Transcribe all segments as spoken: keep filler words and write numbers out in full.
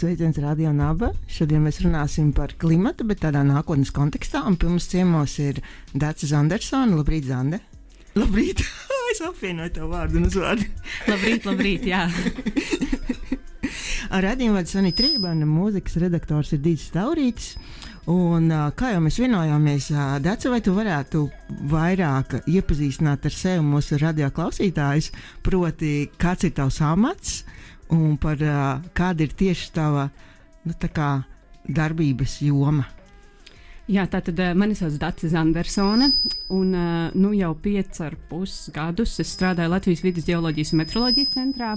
Sveiciens Radio Naba. Šodien mēs runāsim par klimatu, bet tādā nākotnes kontekstā. Un pie mums ciemos ir Dace Zandersone. Labrīt, Zande. Labrīt. Es apvienoju tavu vārdu un uzvārdu. Labrīt, labrīt, jā. Ar radījumu vada Sanita Rībana, mūzikas redaktors ir Dīts Taurītis. Un, kā jau mēs vienojāmies, Dace, vai tu varētu vairāk iepazīstināt ar sevi mūsu radio klausītājus, proti, kāds ir tavs amats un par kāda ir tieši tava nu, tā kā darbības joma? Jā, tātad mani sauc Dace Zandersone, un nu jau piec ar pus gadus es strādāju Latvijas vides ģeoloģijas un meteoroloģijas centrā,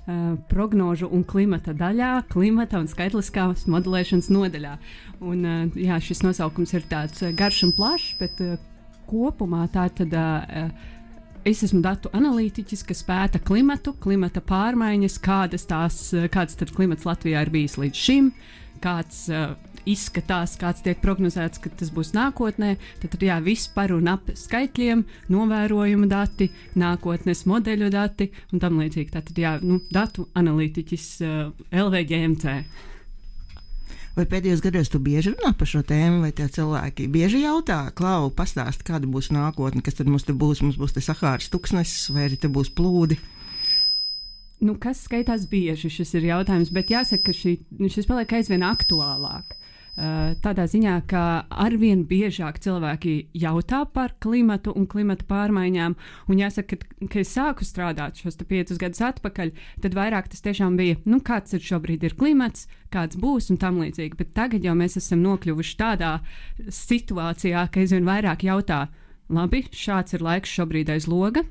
Uh, prognožu un klimata daļā, klimata un skaitliskās modelēšanas nodaļā. Un, uh, jā, šis nosaukums ir tāds uh, garš un plašs, bet uh, kopumā tā tad uh, es esmu datu analītiķis, kas pēta klimatu, klimata pārmaiņas, kādas tās, uh, kāds tad klimats Latvijā ir bijis līdz šim, kāds uh, izskatās, kāds tiek prognozēts, ka tas būs nākotnē. Tad, tad jā, viss par un ap skaitļiem, novērojuma dati, nākotnes modeļu dati un tam līdzīgi. Tātad jā, nu, datu analītiķis uh, L V G M C. Vai pēdējos gados tu bieži runā par šo tēmu, vai tie cilvēki bieži jautā, Klau, pastāst, kāda būs nākotne, kas tad mums te būs, mums būs te Sahāras tuksnesis, vai arī te būs plūdi? Nu, kas skaitās bieži, šis ir jautājums, bet jāsaka, ka šī, šis paliek aizvien aktuālāk. Uh, tādā ziņā, ka arvien biežāk cilvēki jautā par klimatu un klimata pārmaiņām, un jāsaka, ka, ka es sāku strādāt šos piecus gadus atpakaļ, tad vairāk tas tiešām bija, nu, kāds ir šobrīd ir klimats, kāds būs un tam līdzīgi, bet tagad jau mēs esam nokļuvuši tādā situācijā, ka aizvien vairāk jautā, labi, šāds ir laiks šobrīd aiz loga,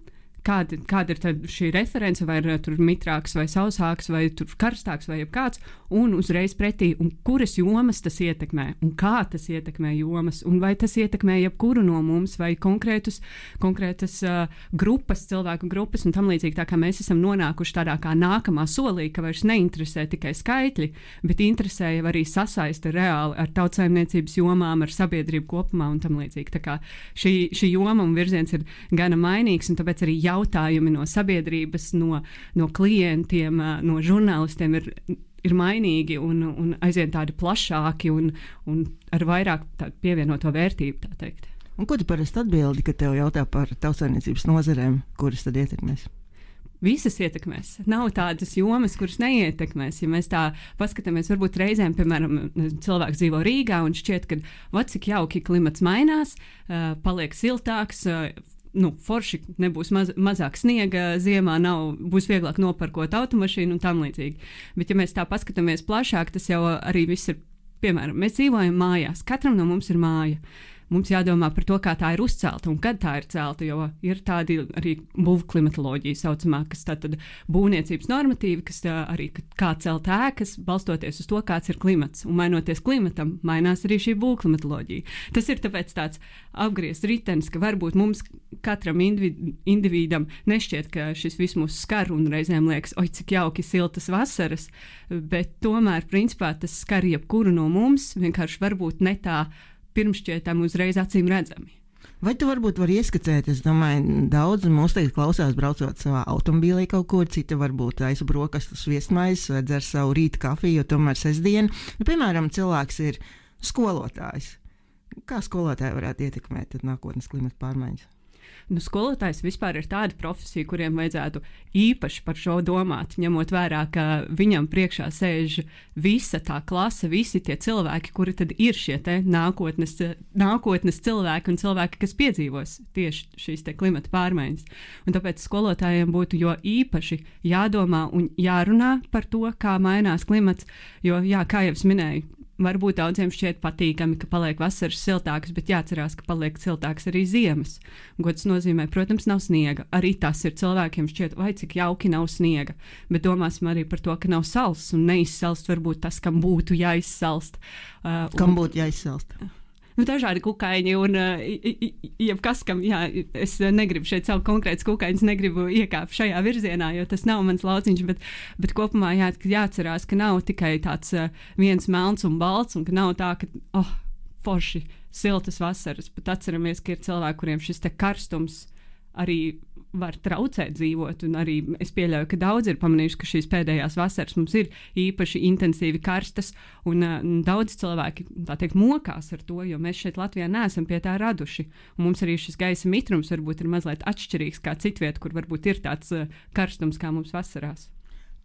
Kāda, kāda ir tad šī reference, vai ir tur mitrāks, vai sausāks, vai tur karstāks, vai jebkāds, un uzreiz pretī, un kuras jomas tas ietekmē, un kā tas ietekmē jomas, un vai tas ietekmē jebkuru no mums, vai konkrētus, konkrētas uh, grupas, cilvēku grupas, un tam līdzīgi, tā kā mēs esam nonākuši tādā kā nākamā solī, ka vairs neinteresē tikai skaitļi, bet interesē jau arī sasaiste reāli ar tautsaimniecības jomām, ar sabiedrību kopumā, un tam līdzīgi. Tā kā šī, šī joma un virziens ir gana mainīgs, un tāpēc arī jautājumi no sabiedrības, no, no klientiem, no žurnālistiem ir, ir mainīgi un, un aizvien tādi plašāki un, un ar vairāk pievienoto vērtību, tā teikt. Un ko tu parasti atbildi, kad tev jautā par tautsaimniecības nozarēm, kuras tad ietekmēs? Visas ietekmēs. Nav tādas jomas, kuras neietekmēs. Ja mēs tā paskatāmies, varbūt reizēm, piemēram, cilvēks dzīvo Rīgā un šķiet, ka va, cik jauki klimats mainās, uh, paliek siltāks, uh, Nu, forši nebūs maz, mazāk sniega, ziemā nav, būs vieglāk noparkot automašīnu un tam līdzīgi. Bet, ja mēs tā paskatāmies plašāk, tas jau arī viss ir, piemēram, mēs dzīvojam mājās, katram no mums ir māja. Mums jādomā par to, kā tā ir uzcelta un kad tā ir celta, jo ir tādi arī būvklimatoloģija saucamā, kas tātad būvniecības normatīvi, kas tā arī kā celt ēkas, balstoties uz to, kāds ir klimats. Un mainoties klimatam, mainās arī šī būvklimatoloģija. Tas ir tāpēc tāds apgriezts ritenis, ka varbūt mums katram individu, individam nešķiet, ka šis viss mūs skar un reizēm liekas, oi, cik jauki siltas vasaras, bet tomēr, principā, tas skar jebkuru no mums, vienkārši varbūt ne tā pirmšķietam uzreiz acīm redzami. Vai tu varbūt vari ieskicēt, es domāju, daudz mūs tagad klausās braucot savā automobīlī kaut kur, cita varbūt aiz brokastus viesmaises vai dzer savu rīta kafiju, jo tomēr sestdien, nu, piemēram, cilvēks ir skolotājs. Kā skolotāji varētu ietekmēt nākotnes klimata pārmaiņas? Nu, skolotājs vispār ir tāda profesija, kuriem vajadzētu īpaši par šo domāt, ņemot vērā, ka viņam priekšā sēž visa tā klase, visi tie cilvēki, kuri tad ir šie te nākotnes, nākotnes cilvēki un cilvēki, kas piedzīvos tieši šīs te klimata pārmaiņas. Un tāpēc skolotājiem būtu jo īpaši jādomā un jārunā par to, kā mainās klimats, jo, jā, kā jau es minēju, varbūt daudziem šķiet patīkami, ka paliek vasaras siltākas, bet jāatcerās, ka paliek siltākas arī ziemas. Ko tas nozīmē? Protams, nav sniega. Arī tas ir cilvēkiem šķiet, vai cik jauki nav sniega. Bet domāsim arī par to, ka nav sals un neizsalst varbūt tas, kam būtu jāizsalst. Uh, kam būtu jāizsalst? Nu, dažādi kukaiņi un uh, jebkas, kam, jā, es negribu šeit savu konkrētas kukaiņas, negribu iekāpt šajā virzienā, jo tas nav mans lauciņš, bet, bet kopumā jā, jāatcerās, ka nav tikai tāds uh, viens melns un balts, un ka nav tā, ka, oh, forši, siltas vasaras, bet atceramies, ka ir cilvēki, kuriem šis te karstums arī var traucēt dzīvot, un arī es pieļauju, ka daudz ir pamanījuši, ka šīs pēdējās vasaras mums ir īpaši intensīvi karstas, un uh, daudz cilvēki, tā teikt, mokās ar to, jo mēs šeit Latvijā neesam pie tā raduši, un mums arī šis gaisa mitrums varbūt ir mazliet atšķirīgs kā citviet, kur varbūt ir tāds uh, karstums kā mums vasarās.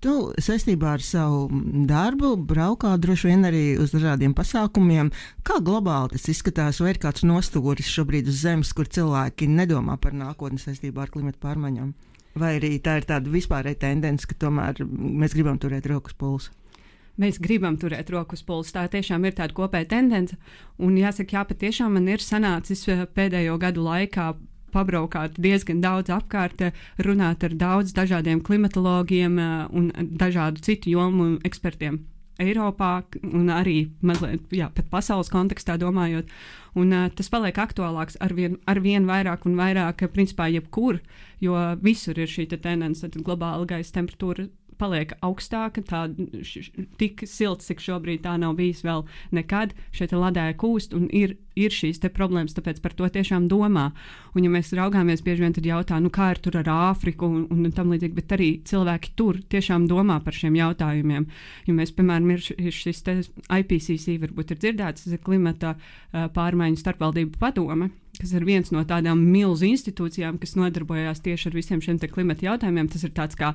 Tu saistībā ar savu darbu braukā droši vien arī uz dažādiem pasākumiem. Kā globāli tas izskatās, vai ir kāds nostūris šobrīd uz zemes, kur cilvēki nedomā par nākotni saistībā ar klimatu pārmaiņām? Vai arī tā ir tāda vispārēja tendence, ka tomēr mēs gribam turēt roku uz pulsa? Mēs gribam turēt roku uz pulsa. Tā tiešām ir tāda kopēja tendence. Un jāsaka, jā, patiešām man ir sanācis pēdējo gadu laikā pabraukāt diezgan daudz apkārt, runāt ar daudz dažādiem klimatologiem un dažādu citu jomu ekspertiem Eiropā un arī mazliet, jā, pat pasaules kontekstā domājot. Un uh, tas paliek aktuālāks arvien, arvien vairāk un vairāk, principā jebkur, jo visur ir šī tendence, tad globāla gaisa temperatūra paliek augstāka, tā š, tik silts, cik šobrīd tā nav bijis vēl nekad, šeit ledāja kūst un ir, ir šīs te problēmas, tāpēc par to tiešām domā. Un ja mēs raugāmies, bieži vien tad jautā, nu kā ir tur ar Āfriku un, un tam līdzīgi, bet arī cilvēki tur tiešām domā par šiem jautājumiem. Ja mēs, piemēram, ir, ir šis te I P C C, varbūt ir dzirdēts, tas ir klimata uh, pārmaiņu starpvaldību padome, kas ir viens no tādām milzu institūcijām, kas nodarbojās tieši ar visiem šiem te klimata jautājumiem. Tas ir tāds kā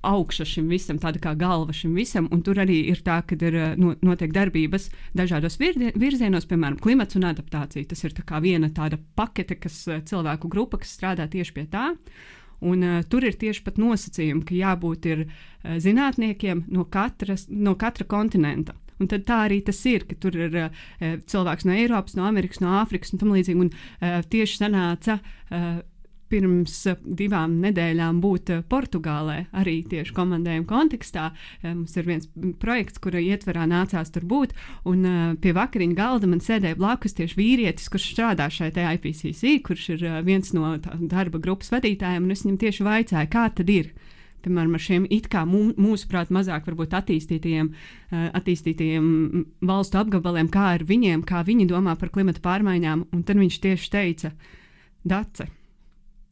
augša šim visam, tāda kā galva šim visam, un tur arī ir tā, ka ir no, notiek darbības dažādos virzienos, piemēram, klimats un adaptācija. Tas ir tā kā viena tāda pakete, kas cilvēku grupa, kas strādā tieši pie tā, un uh, tur ir tieši pat nosacījumi, ka jābūt ir uh, zinātniekiem no, katras, no katra kontinenta. Un tad tā arī tas ir, ka tur ir uh, cilvēks no Eiropas, no Amerikas, no Āfrikas un tam līdzīgi, un uh, tieši sanāca uh, pirms divām nedēļām būt Portugālē, arī tieši komandējuma kontekstā. Mums ir viens projekts, kura ietverā nācās tur būt, un pie vakariņu galda man sēdēja blakus tieši vīrietis, kurš strādā šai te I P C C, kurš ir viens no darba grupas vadītājiem, un es viņam tieši vaicāju, kā tad ir. Piemēram, ar šiem it kā mūsuprāt mazāk varbūt attīstītajiem, attīstītajiem valstu apgabaliem, kā ar viņiem, kā viņi domā par klimata pārmaiņām, un tad viņš tieši teica, Dace,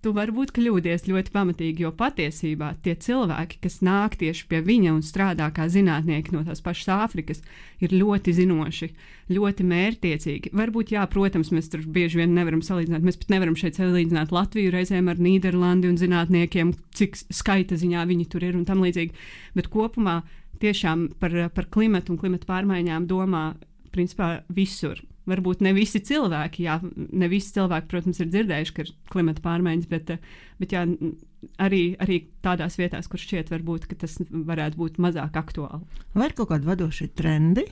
tu varbūt kļūdies ļoti pamatīgi, jo patiesībā tie cilvēki, kas nāk tieši pie viņa un strādā kā zinātnieki no tās pašas Āfrikas, ir ļoti zinoši, ļoti mērķtiecīgi. Varbūt, jā, protams, mēs tur bieži vien nevaram salīdzināt, mēs pat nevaram šeit salīdzināt Latviju reizēm ar Nīderlandi un zinātniekiem, cik skaita ziņā viņi tur ir un tam līdzīgi, bet kopumā tiešām par, par klimatu un klimatu pārmaiņām domā principā visur. Varbūt ne visi cilvēki, jā, ne visi cilvēki, protams, ir dzirdējuši, ka ir klimata pārmaiņas, bet, bet jā, arī, arī tādās vietās, kur šķiet varbūt, ka tas varētu būt mazāk aktuāli. Vai ir kaut kādi vadošie trendi?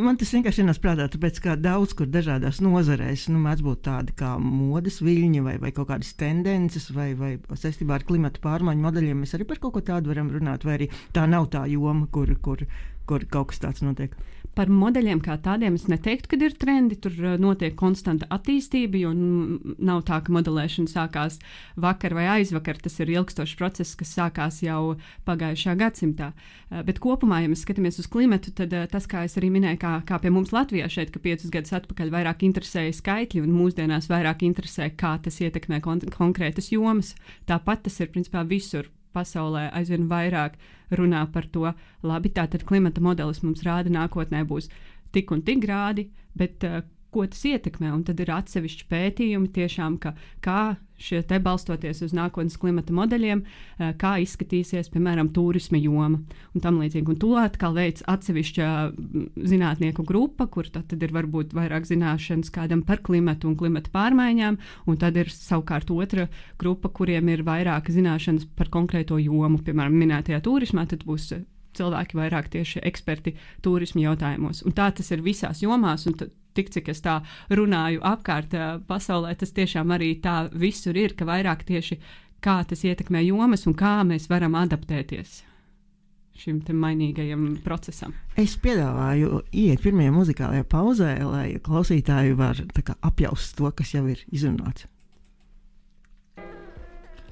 Man tas vienkārši ienāca prātā, tāpēc, ka daudz kur dažādās nozarēs, nu, mēdz būt tādi kā modes viļņi vai, vai kaut kādas tendences vai, vai saistībā ar klimata pārmaiņu modeļiem. Mēs arī par kaut ko tādu varam runāt, vai arī tā nav tā joma, kur, kur, kur kaut kas tāds notiek. Par modeļiem kā tādiem es neteiktu, ka ir trendi, tur notiek konstanta attīstība, jo nav tā, ka modelēšana sākās vakar vai aizvakar, tas ir ilgstošs process, kas sākās jau pagājušā gadsimtā. Bet kopumā, ja mēs skatāmies uz klimatu, tad tas, kā es arī minēju, kā, kā pie mums Latvijā šeit, ka piecus gadus atpakaļ vairāk interesēja skaitļi un mūsdienās vairāk interesē, kā tas ietekmē kon- konkrētas jomas. Tāpat tas ir principā visur. Pasaulē aizvien vairāk runā par to, labi, tātad klimata modelis mums rāda nākotnē būs tik un tik grādi, bet uh, ko tas ietekmē, un tad ir atsevišķi pētījumi tiešām, ka, kā šie te balstoties uz nākotnes klimata modeļiem, uh, kā izskatīsies, piemēram, turisma joma un tam līdzīgi. Un to atkal veids atsevišķa zinātnieku grupa, kur tad ir varbūt vairāk zināšanas kādam par klimatu un klimata pārmaiņām, un tad ir savukārt otra grupa, kuriem ir vairāk zināšanas par konkrēto jomu, piemēram, minētajā turismā, tad būs cilvēki vairāk tieši eksperti turisma jautājumos. Un tā tas ir visās jomās, un t- tik cik es tā runāju apkārt pasaulē, tas tiešām arī tā visur ir, ka vairāk tieši kā tas ietekmē jomas un kā mēs varam adaptēties šim te mainīgajam procesam. Es piedāvāju iet pirmajā muzikālajā pauzē, lai klausītāji var tā kā apjaust to, kas jau ir izrunāts.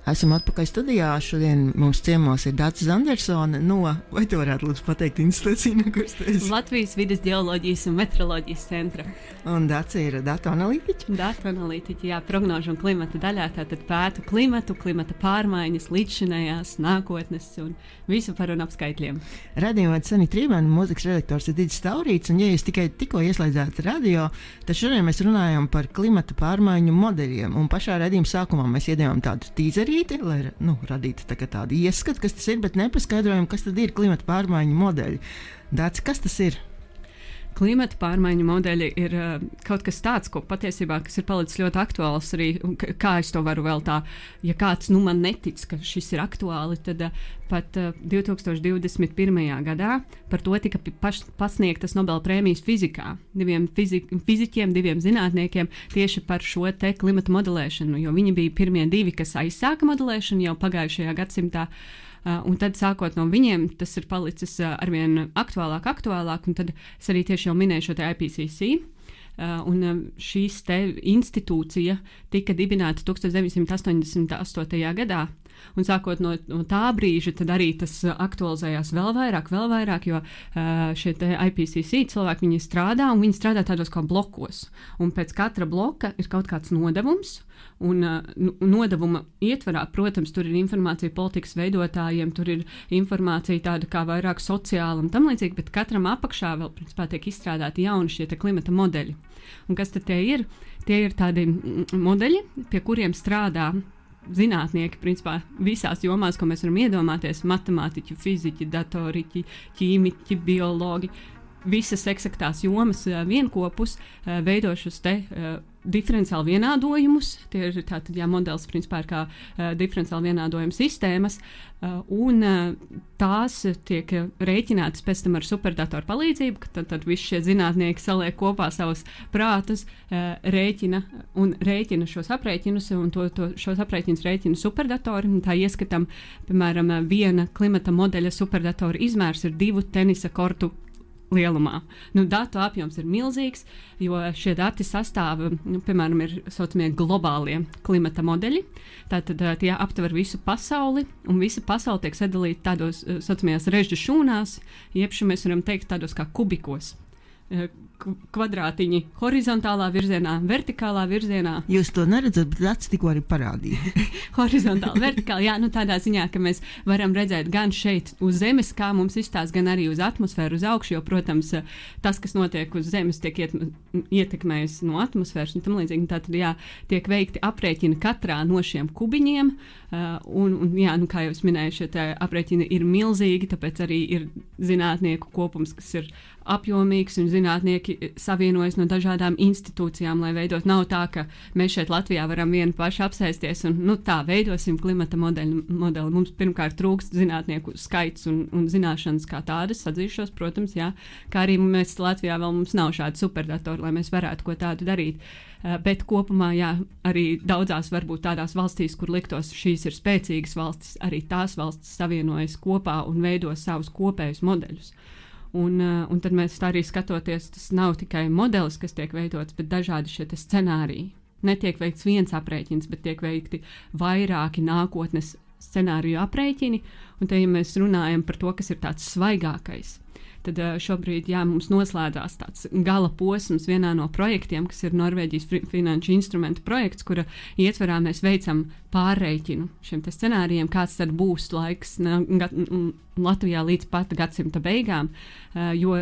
Esam atpakaļ studijā. Šodien mums ciemos ir Dāca Zandersone no, vai tu varētu lūdzu pateikt institūciju, kas tu esi? Latvijas vides geoloģijas un meteoroloģijas centra. Un Dāca ir datu analītiķa? Datu analītiķa, jā, prognožu un klimata daļā. Tātad pētu klimatu, klimata pārmaiņas, līdzšinējās, nākotnes un visu par un ap skaitļiem. Radījumā Sanita Trībēna, mūzikas redaktors ir Digis Taurīts, un ja jūs tikai tikko ieslēdzāt radio, tad šodien mēs runājam par klimata pārmaiņu modeļiem. Un pašā radījuma sākumā mēs iedevām tādu tīzerīti, lai nu, radītu tā tādu ieskatu, kas tas ir, bet nepaskaidrojam, kas tad ir klimata pārmaiņu modeļi. Dāc, kas tas ir? Klimata pārmaiņu modeļi ir uh, kaut kas tāds, ko patiesībā kas ir palicis ļoti aktuāls arī, kā es to varu vēl tā, ja kāds nu man netic, ka šis ir aktuāli, tad uh, pat uh, divi tūkstoši divdesmit pirmajā gadā par to tika paš, pasniegtas Nobela prēmijas fizikā diviem fizi, fiziķiem, diviem zinātniekiem tieši par šo te klimata modelēšanu, jo viņi bija pirmie divi, kas aizsāka modelēšanu jau pagājušajā gadsimtā. Uh, un tad, sākot no viņiem, tas ir palicis uh, arvien aktuālāk, aktuālāk, un tad es arī tieši jau minēju šo te I P C C. Uh, un uh, šīs te institūcija tika dibināta deviņdesmit astoņdesmit astotajā gadā. Un sākot no, no tā brīža, tad arī tas uh, aktualizējās vēl vairāk, vēl vairāk, jo uh, šie te I P C C cilvēki, viņi strādā, un viņi strādā tādos kā blokos. Un pēc katra bloka ir kaut kāds nodevums, un uh, nodevuma ietvarā, protams, tur ir informācija politikas veidotājiem, tur ir informācija tāda kā vairāk sociāla un tam līdzīgi, bet katram apakšā vēl, principā, tiek izstrādāti jauni šie te klimata modeļi. Un kas tad tie ir? Tie ir tādi modeļi, pie kuriem strādā zinātnieki, principā, visās jomās, ko mēs varam iedomāties, matemātiķi, fiziķi, datoriķi, ķīmiķi, biologi, visas eksaktās jomas vienkopus veido šos te diferenciāli vienādojumus. Tie ir tātad, jā, modelis, principā, ir kā uh, diferenciāli vienādojuma sistēmas, uh, un uh, tās tiek rēķinātas pēc tam ar superdatoru palīdzību, ka tad, tad visi šie zinātnieki saliek kopā savus prātus, uh, rēķina un rēķina šos aprēķinus, un to, to, šos aprēķinus rēķina superdatori. Tā ieskatam, piemēram, viena klimata modeļa superdatora izmērs ir divu tenisa kortu lielumā. Nu, datu apjoms ir milzīgs, jo šie dati sastāv, nu, piemēram, ir saucamie globālie klimata modeļi. Tātad tie aptver visu pasauli, un visa pasaule tiek sadalīta tādos saucamajās režģu šūnās, jeb mēs varam teikt tādos kā kubikos. Kvadrātiņi horizontālā virzienā, vertikālā virzienā. Jūs to neredzat, bet Dāca tikko arī parādīja. Horizontāli, vertikāli, jā, nu tādā ziņā, ka mēs varam redzēt gan šeit uz Zemes, kā mums izstās, gan arī uz atmosfēru, uz augšu, jo, protams, tas, kas notiek uz Zemes, tiek iet, ietekmējis no atmosfēras un tam līdzīgi. Tātad, jā, tiek veikti aprēķini katrā no šiem kubiņiem, uh, un, un, jā, nu, kā jau es minēju, šie te aprēķini ir milzīgi, tāpēc arī ir zinātnieku kopums, kas ir apjomīgs, un zinātnieki savienojas no dažādām institūcijām, lai veidot. Nav tā, ka mēs šeit Latvijā varam vieni paši apsēsties un, nu, tā, veidosim klimata modeļu, modeli. Mums pirmkārt trūkst zinātnieku skaits un, un zināšanas kā tādas, atzīšos, protams, jā, kā arī mēs Latvijā vēl mums nav šādi superdatori, lai mēs varētu ko tādu darīt. Uh, bet kopumā, jā, arī daudzās varbūt tādās valstīs, kur liktos šīs ir spēcīgas valstis, arī tās valstis savienojas kopā un veido savus kopējus modeļus. Un, uh, un tad mēs tā arī skatoties, tas nav tikai modelis, kas tiek veidots, bet dažādi šie scenāriji. Netiek veikts viens aprēķins, bet tiek veikti vairāki nākotnes scenāriju aprēķini. Un te, ja mēs runājam par to, kas ir tāds svaigākais, tad uh, šobrīd, jā, mums noslēdzās tāds gala posms vienā no projektiem, kas ir Norvēģijas finanšu instrumentu projekts, kura ietverā mēs veicam pārreikinu šiem te scenārijiem, kāds tad būs laiks ne, gat, Latvijā līdz pat gadsimta beigām, uh, jo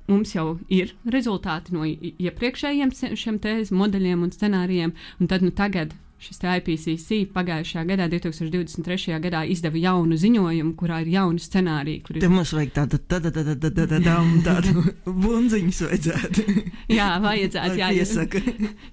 mums jau ir rezultāti no iepriekšējiem šiem te modeļiem un scenārijiem, un tad nu tagad šis I P C C pagājušajā gadā, divi tūkstoši divdesmit trešajā gadā, izdeva jaunu ziņojumu, kurā ir jauni scenāriji. Ir... Te mums vajag tādu, tādu, tādu, tādu, tādu, tādu bunziņus vajadzētu. Jā, vajadzētu, jā, jo,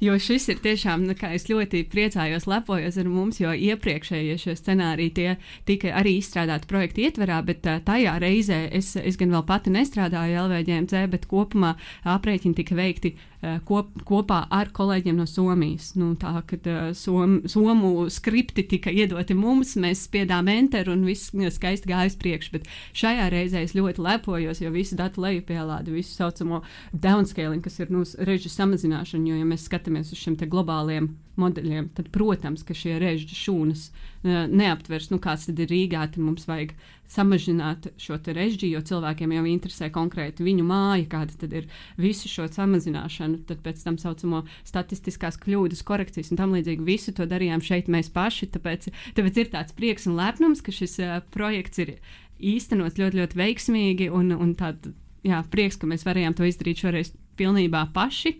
jo šis ir tiešām, nu, kā es ļoti priecājos, lepojos ar mums, jo iepriekšējie šie scenāriji tie tika arī izstrādāti projekta ietverā, bet uh, tajā reizē es, es gan vēl pati nestrādāju L V G M C, bet kopumā aprēķini tika veikti uh, kop, kopā ar kolēģiem no Somijas. Nu, tā, kad uh, som, somu skripti tika iedoti mums, mēs spiedām enter un viss skaisti gāja uz priekšu, bet šajā reizē es ļoti lepojos, jo visu datu lejupielādi, visu saucamo downscaling, kas ir nu, režu samazināšana, jo ja mēs skatāmies uz šiem te globāliem modeļiem, tad, protams, ka šie režu šūnas uh, neaptvers, nu kāds tad ir Rīgā, tad mums vajag samazināt šo te režģi, jo cilvēkiem jau interesē konkrēti viņu māja, kāda tad ir visu šo samazināšanu, tad pēc tam saucamo statistiskās kļūdas, korekcijas un tam līdzīgi visu to darījām šeit mēs paši, tāpēc, tāpēc ir tāds prieks un lepnums, ka šis uh, projekts ir īstenots ļoti, ļoti veiksmīgi un, un tād, jā, prieks, ka mēs varējām to izdarīt šoreiz pilnībā paši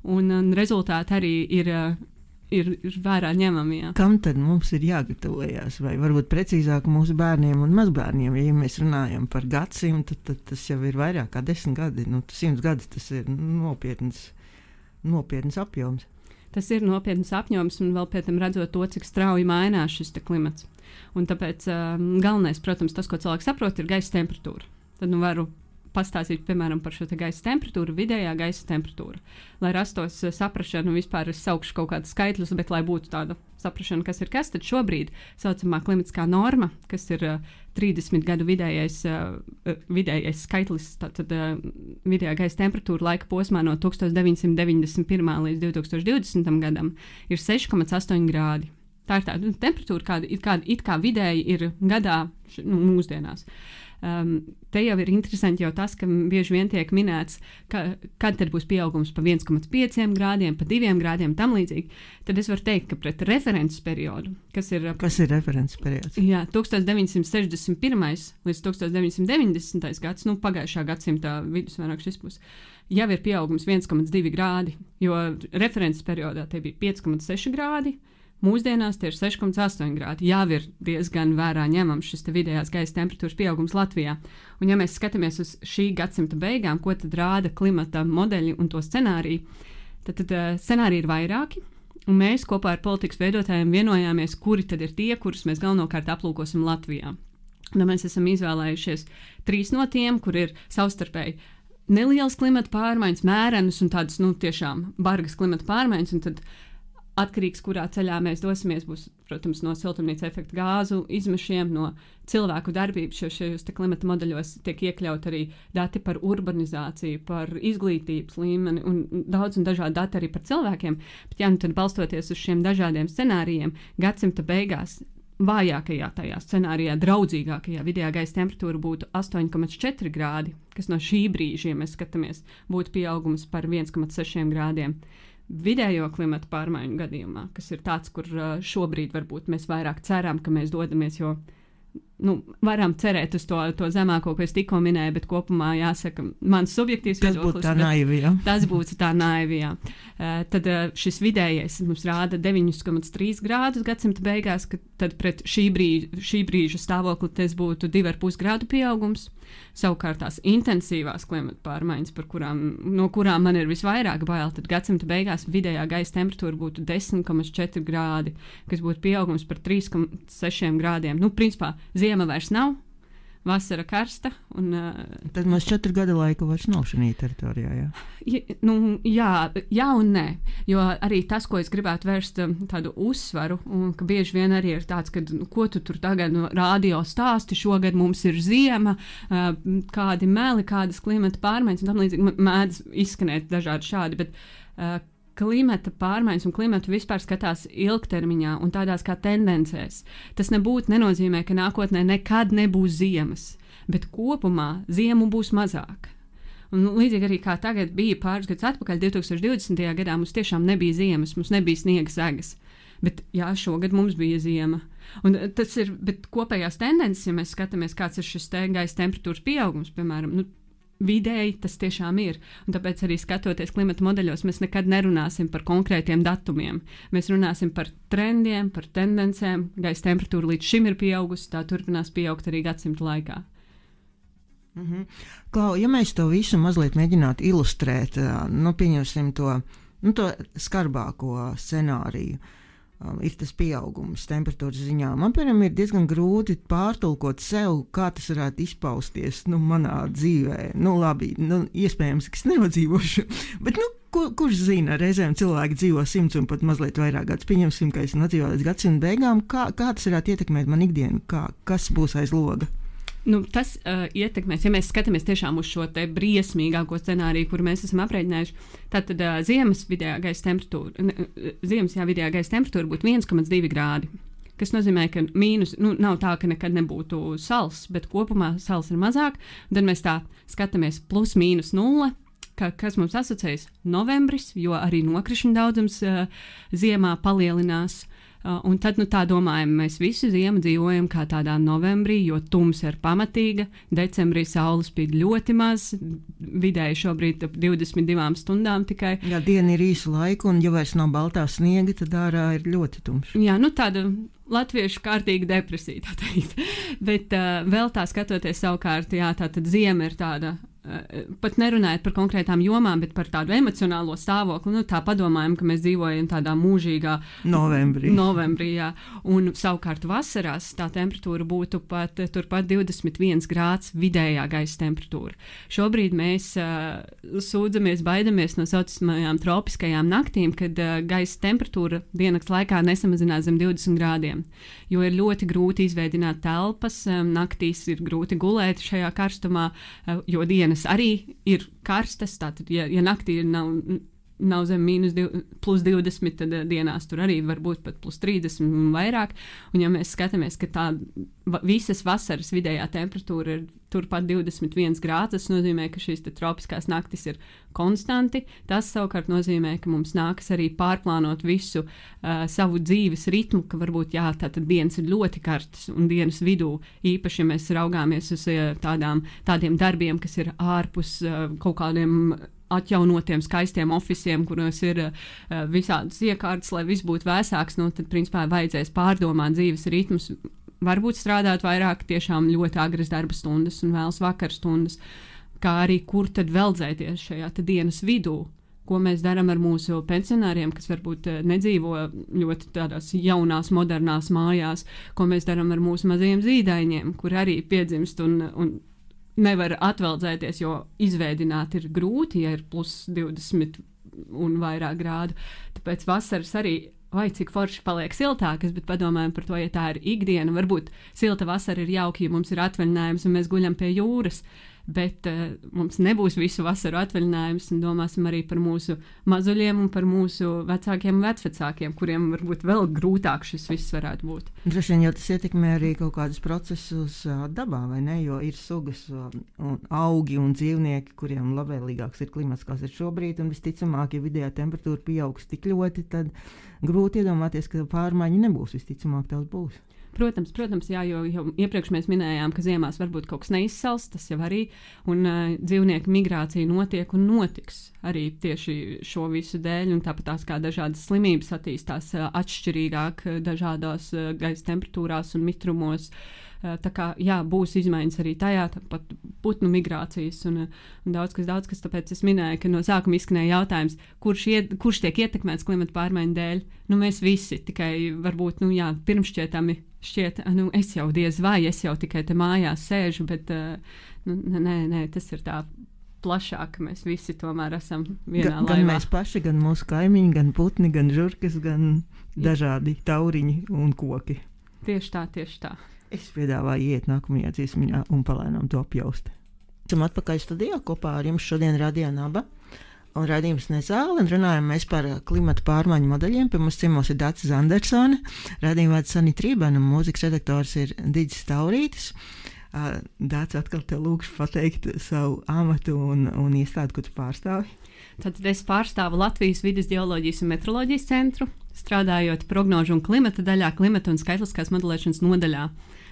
un, un rezultāti arī ir uh, Ir, ir vērā ņemami. Jā. Kam tad mums ir jāgatavojas? Vai varbūt precīzāk mūsu bērniem un mazbērniem? Ja mēs runājam par gadsimtu, tad, tad tas jau ir vairāk kā desmit gadi. Nu, simts gadi tas ir nopietns, nopietns apjoms. Tas ir nopietns apjoms un vēl pēc tam redzot to, cik strauji mainās šis klimats. Un tāpēc um, galvenais, protams, tas, ko cilvēks saprot, ir gaisa temperatūra. Tad nu varu pastāstīt, piemēram, par šo te gaisa temperatūru, vidējā gaisa temperatūra. Lai rastos uh, saprašanu, vispār es saukšu kaut kādus skaitļus, bet lai būtu tāda saprašana, kas ir kas, tad šobrīd saucamā klimatiskā norma, kas ir uh, trīsdesmit gadu vidējais, uh, vidējais skaitlis, tātad uh, vidējā gaisa temperatūra laika posmā no tukstovs deviņsimt deviņdesmit pirmā līdz divi tūkstoši divdesmitam gadam ir seši komats astoņi grādi. Tā ir tāda temperatūra, kāda it kā, it kā vidēji ir gadā nu, mūsdienās. Um, te jau ir interesanti jau tas, ka bieži vien tiek minēts, ka, kad tad būs pieaugums pa viens komats pieci grādiem, pa diviem grādiem, tam līdzīgi. Tad es varu teikt, ka pret references periodu, kas ir... Kas ir references periods? Jā, tukstovs deviņsimt sešdesmit pirmais līdz tukstovs deviņsimt deviņdesmitais gads, nu pagājušā gadsimta vidus vairāk šis būs, jau ir pieaugums viens komats divi grādi, jo references periodā te bija pieci komats seši grādi, mūsdienās tie ir seši komats astoņi grādi. Jau ir diezgan vērā ņemams šis vidējās gaisa temperatūras pieaugums Latvijā. Un ja mēs skatāmies uz šī gadsimta beigām, ko tad rāda klimata modeļi un to scenāriju, tad, tad uh, scenāriji ir vairāki. Un mēs kopā ar politikas veidotājiem vienojāmies, kuri tad ir tie, kurus mēs galvenokārt aplūkosim Latvijā. Un mēs esam izvēlējušies trīs no tiem, kur ir savstarpēji nelielas klimata pārmaiņas, mērenas un tādas, nu, tiešām bargas klimata pārmaiņas, un tad atkarīgs, kurā ceļā mēs dosimies, būs, protams, no siltumnīca efekta gāzu izmešiem, no cilvēku darbības, jo šajos klimata modeļos tiek iekļaut arī dati par urbanizāciju, par izglītības līmeni un daudz un dažādi dati arī par cilvēkiem. Bet jā, nu tad balstoties uz šiem dažādiem scenārijiem, gadsimta beigās vājākajā tajā scenārijā, draudzīgākajā vidējā gaisa temperatūra būtu astoņi komats četri grādi, kas no šī brīža, ja mēs skatāmies, būtu pieaugums par viens komats seši grādiem. Vidējo klimata pārmaiņu gadījumā, kas ir tāds, kur šobrīd varbūt mēs vairāk ceram, ka mēs dodamies, jo nu, varam cerēt uz to, to zemāko, ko es tikko minēju, bet kopumā jāsaka, mans subjektīvs tas viedoklis. Būtu tā naivi, jā. Tas būtu tā naivi, jā. Uh, tad uh, šis vidējais mums rāda deviņi komats trīs grādus gadsimta beigās, ka tad pret šī brīža, šī brīža stāvokli tas būtu divi komats pieci grādu pieaugums. Savukārt tās intensīvās klimata pārmaiņas, par kurām, no kurām man ir visvairāk bail, tad gadsimta beigās vidējā gaisa temperatūra būtu desmit komats četri grādi, kas būtu pieaugums par trīs komats seši grādiem. Nu, principā, ziema vairs nav, vasara karsta. Un, uh, tad mums četru gadu laika vairs nav šajā teritorijā, jā? Ja, nu, jā, jā un nē, jo arī tas, ko es gribētu vērst tādu uzsvaru, un ka bieži vien arī ir tāds, ka, nu, ko tu tur tagad no rādio stāsti, šogad mums ir ziema, uh, kādi meli, kādas klimata pārmaiņas, un tam līdzīgi mēdz izskanēt dažādi šādi, bet uh, klimata pārmaiņas un klimatu vispār skatās ilgtermiņā un tādās kā tendencēs. Tas nebūtu nenozīmē, ka nākotnē nekad nebūs ziemas, bet kopumā ziemu būs mazāk. Un līdzīgi arī kā tagad bija pāris gadus atpakaļ, divi tūkstoši divdesmitajā gadā mums tiešām nebija ziemas, mums nebija sniega segas. Bet jā, šogad mums bija ziema. Un tas ir, bet kopējās tendences, ja mēs skatāmies, kāds ir šis te gaisa temperatūras pieaugums, piemēram, nu, vidēji tas tiešām ir. Un tāpēc arī skatoties klimata modeļos, mēs nekad nerunāsim par konkrētiem datumiem. Mēs runāsim par trendiem, par tendencēm. Gaisa temperatūra līdz šim ir pieaugusi, tā turpinās pieaugt arī gadsimta laikā. Mhm. Klau, ja mēs to visu mazliet mēģinātu ilustrēt, nu, pieņemsim to, nu, to skarbāko scenāriju. um, ir tas pieaugums temperatūras ziņā. Man, piemēram, ir diezgan grūti pārtulkot sev, kā tas varētu izpausties nu, manā dzīvē. Nu, labi, nu, iespējams, ka es nenodzīvošu, bet, nu, Kur, kurš zina, reizēm cilvēki dzīvo simts un pat mazliet vairāk gadus. Pieņemsim, ka es nodzīvoju līdz gadsimta beigām. Kā, kā tas varētu ietekmēt man ikdienu? Kā, kas būs aiz loga? Nu, tas uh, ietekmēs, ja mēs skatāmies tiešām uz šo te briesmīgāko scenāriju, kuru mēs esam aprēķinājuši. Tātad uh, ziemas vidējā gaisa temperatūra, ne, ziemas jā, vidējā gaisa temperatūra būtu viens komats divi grādi. Kas nozīmē, ka mīnus, nu, nav tā, ka nekad nebūtu sals, bet kopumā sals ir mazāk. Tad mēs tā skatāmies plus mīnus nulle. Ka, kas mums asociējas novembris, jo arī nokrišņu daudzums uh, ziemā palielinās. Uh, un tad nu, tā domājam, mēs visu ziemu dzīvojam kā tādā novembrī, jo tumsa ir pamatīga. Decembrī saule spīd ļoti maz, vidēji šobrīd ap divdesmit divām stundām tikai. Jā, diena ir īsa laika, un ja vairs nav baltā sniega, tad ārā ir ļoti tumšs. Jā, nu tāda latviešu kārtīga depresija, tā teikt. Bet uh, vēl tā skatoties savukārt, jā, tā tad ziema ir tāda. Pat nerunājot par konkrētām jomām, bet par tādu emocionālo stāvokli. Nu, tā padomājam, ka mēs dzīvojam tādā mūžīgā novembrī. novembrī jā. Un savukārt vasarās tā temperatūra būtu pat turpat divdesmit viens grāds vidējā gaisa temperatūra. Šobrīd mēs uh, sūdzamies, baidamies no saucamajām tropiskajām naktīm, kad uh, gaisa temperatūra diennakts laikā nesamazinās zem divdesmit grādiem. Jo ir ļoti grūti izveidināt telpas, um, naktīs ir grūti gulēt šajā karstumā, uh, jo dienas arī ir karstas, tātad, ja, ja naktī nav, nav zem mīnus div, plus divdesmit, tad dienās tur arī var būt pat plus trīsdesmit un vairāk. Un ja mēs skatāmies, ka tā visas vasaras vidējā temperatūra ir turpat divdesmit viens grāds, tas nozīmē, ka šīs te tropiskās naktis ir konstanti. Tas savukārt nozīmē, ka mums nākas arī pārplānot visu uh, savu dzīves ritmu, ka varbūt jā, tātad dienas ir ļoti karstas un dienas vidū, īpaši, ja mēs raugāmies uz uh, tādām, tādiem darbiem, kas ir ārpus uh, kaut kādiem atjaunotiem, skaistiem ofisiem, kuros ir uh, visādas iekārtas, lai viss būtu vēsāks, nu, tad, principā, vajadzēs pārdomāt dzīves ritmus, varbūt strādāt vairāk tiešām ļoti agras darba stundas un vēlas vakar stundas, kā arī kur tad veldzēties šajā dienas vidū, ko mēs darām ar mūsu pensionāriem, kas varbūt nedzīvo ļoti tādās jaunās, modernās mājās, ko mēs darām ar mūsu mazajiem zīdaiņiem, kur arī piedzimst un, un nevar atveldzēties, jo izveidināt ir grūti, ja ir plus divdesmit un vairāk grādu. Tāpēc vasaras arī, vai cik forši paliek siltākas, bet padomājam par to, ja tā ir ikdiena. Varbūt silta vasara ir jauki, ja mums ir atvaļinājums un mēs guļam pie jūras, bet uh, mums nebūs visu vasaru atvaļinājums, un domāsim arī par mūsu mazuļiem un par mūsu vecākiem un vecvecākiem, kuriem varbūt vēl grūtāk šis viss varētu būt. Droši vien jau tas ietekmē arī kaut kādus procesus uh, dabā, vai ne? Jo ir sugas uh, un augi un dzīvnieki, kuriem labvēlīgāks ir klimats, kāds ir šobrīd, un visticamāk, ja vidējā temperatūra pieaugs tik ļoti, tad grūti iedomāties, ka pārmaiņa nebūs, visticamāk tās būs. Protams, protams, jā, jo jau iepriekš mēs minējām, ka ziemās varbūt kaut kas neizsals, tas jau arī, un uh, dzīvnieku migrācija notiek un notiks arī tieši šo visu dēļ, un tāpat tās kā dažādas slimības attīstās uh, atšķirīgāk dažādās uh, gaisa temperatūrās un mitrumos. Uh, tā kā, jā, būs izmaiņas arī tajā, tāpat putnu migrācijas un, un daudz kas, daudz kas, tāpēc es minēju, ka no sākuma izskanēja jautājums, kurš, iet, kurš tiek ietekmēts klimata pārmaiņu dēļ. Nu, mēs visi, tikai varbūt, nu jā, pirmšķietami šķiet, nu, es jau diez vai, es jau tikai te mājās sēžu, bet, uh, nu, nē, nē, tas ir tā plašāk, ka mēs visi tomēr esam vienā gan, laivā. Gan mēs paši, gan mūsu kaimiņi, gan putni, gan žurkas, gan dažādi tauriņi un koki. Tieši tā, tieši tā. Es piedāvāju iet nākamajā dziesmiņā un palēnām to apjaust. Esam atpakaļ studijā kopā ar jums šodien Radio Naba un raidījums Nezāle, un runājam mēs par klimata pārmaiņu modeļiem. Pie mums ciemos ir Dācis Andersone, raidījuma vada Sanita Trībēna un mūzikas redaktors ir Digis Taurītis. Dācis, atkal te lūkšu pateikt savu amatu un, un iestādi, ko tu pārstāvi. Tātad es pārstāvu Latvijas vides geoloģijas un metroloģijas centru, strādājot prognožu un klimata daļā, klimata un skaitliskās modelēšanas nodaļā.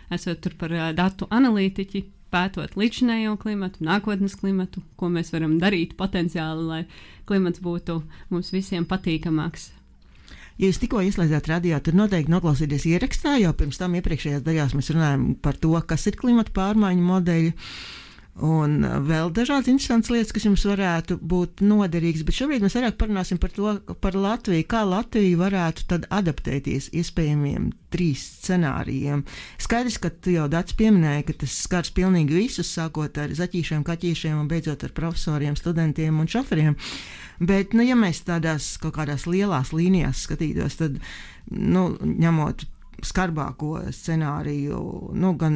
Esot tur par uh, datu analītiķi, pētot līdzinējo klimatu, nākotnes klimatu, ko mēs varam darīt potenciāli, lai klimats būtu mums visiem patīkamāks. Ja jūs tikko ieslēdzāt radio, tad noteikti noklausieties ierakstā, jo pirms tam iepriekšējās daļās mēs runājam par to, kas ir klimata pārmaiņu modeļi. Un vēl dažādas interesantas lietas, kas jums varētu būt noderīgas, bet šobrīd mēs vairāk parunāsim par to, par Latviju, kā Latvija varētu tad adaptēties iespējamiem trīs scenārijiem. Skaidrs, ka tu jau Dats pieminēja, ka tas skars pilnīgi visus, sākot ar zaķīšiem, kaķīšiem un beidzot ar profesoriem, studentiem un šoferiem. Bet, nu, ja mēs tādās kaut kādās lielās līnijās skatītos, tad, nu, ņemot skarbāko scenāriju, nu, gan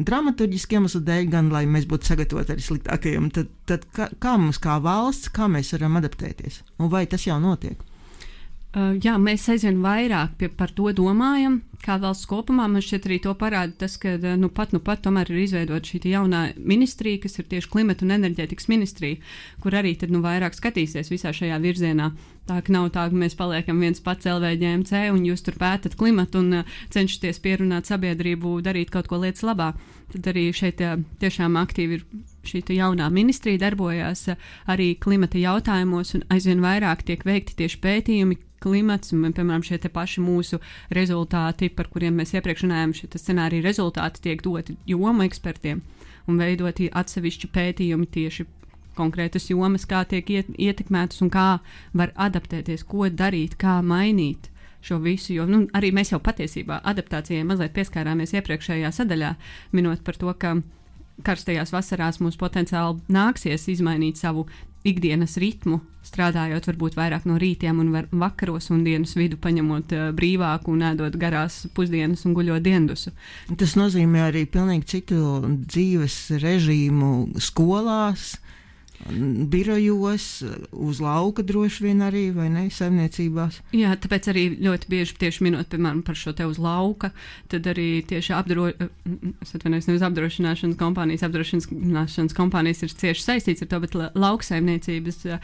dramaturģiski iemeslu dēļ, gan, lai mēs būtu sagatavoti arī sliktākajam, tad, tad kā, kā mums kā valsts, kā mēs varam adaptēties? Un vai tas jau notiek? Uh, jā, mēs aizvien vairāk pie, par to domājam, kā valsts kopumā. Man šķiet arī to parāda tas, ka nu pat, nu pat tomēr ir izveidota šī jaunā ministrija, kas ir tieši klimata un enerģētikas ministrija, kur arī tad nu vairāk skatīsies visā šajā virzienā. Tā ka nav tā, ka mēs paliekam viens pats L V Ģ M C un jūs tur pētat klimatu un uh, cenšaties pierunāt sabiedrību darīt kaut ko lietas labā. Tad arī šeit uh, tiešām aktīvi ir šī jaunā ministrija darbojās uh, arī klimata jautājumos un aizvien vairāk tiek veikti tieši pētījumi klimats, un, piemēram, šie te paši mūsu rezultāti, par kuriem mēs iepriekš runājam, šie scenārija rezultāti tiek doti jomu ekspertiem un veidoti atsevišķi pētījumi tieši konkrētas jomas, kā tiek iet, ietekmētas un kā var adaptēties, ko darīt, kā mainīt šo visu, jo nu, arī mēs jau patiesībā adaptācijai mazliet pieskārāmies iepriekšējā sadaļā, minot par to, ka karstajās vasarās mums potenciāli nāksies izmainīt savu ikdienas ritmu, strādājot varbūt vairāk no rītiem un var, vakaros un dienas vidu paņemot uh, brīvāku un ēdot garās pusdienas un guļot diendusu. Tas nozīmē arī pilnīgi citu dzīves režīmu skolās, birojos, uz lauka droši vien arī, vai ne, saimniecībās? Jā, tāpēc arī ļoti bieži tieši minot, piemēram, par šo te uz lauka, tad arī tieši apdro, es atvainojos, nevis apdrošināšanas kompānijas, apdrošināšanas kompānijas ir cieši saistīts ar to, bet lauksaimniecības uh,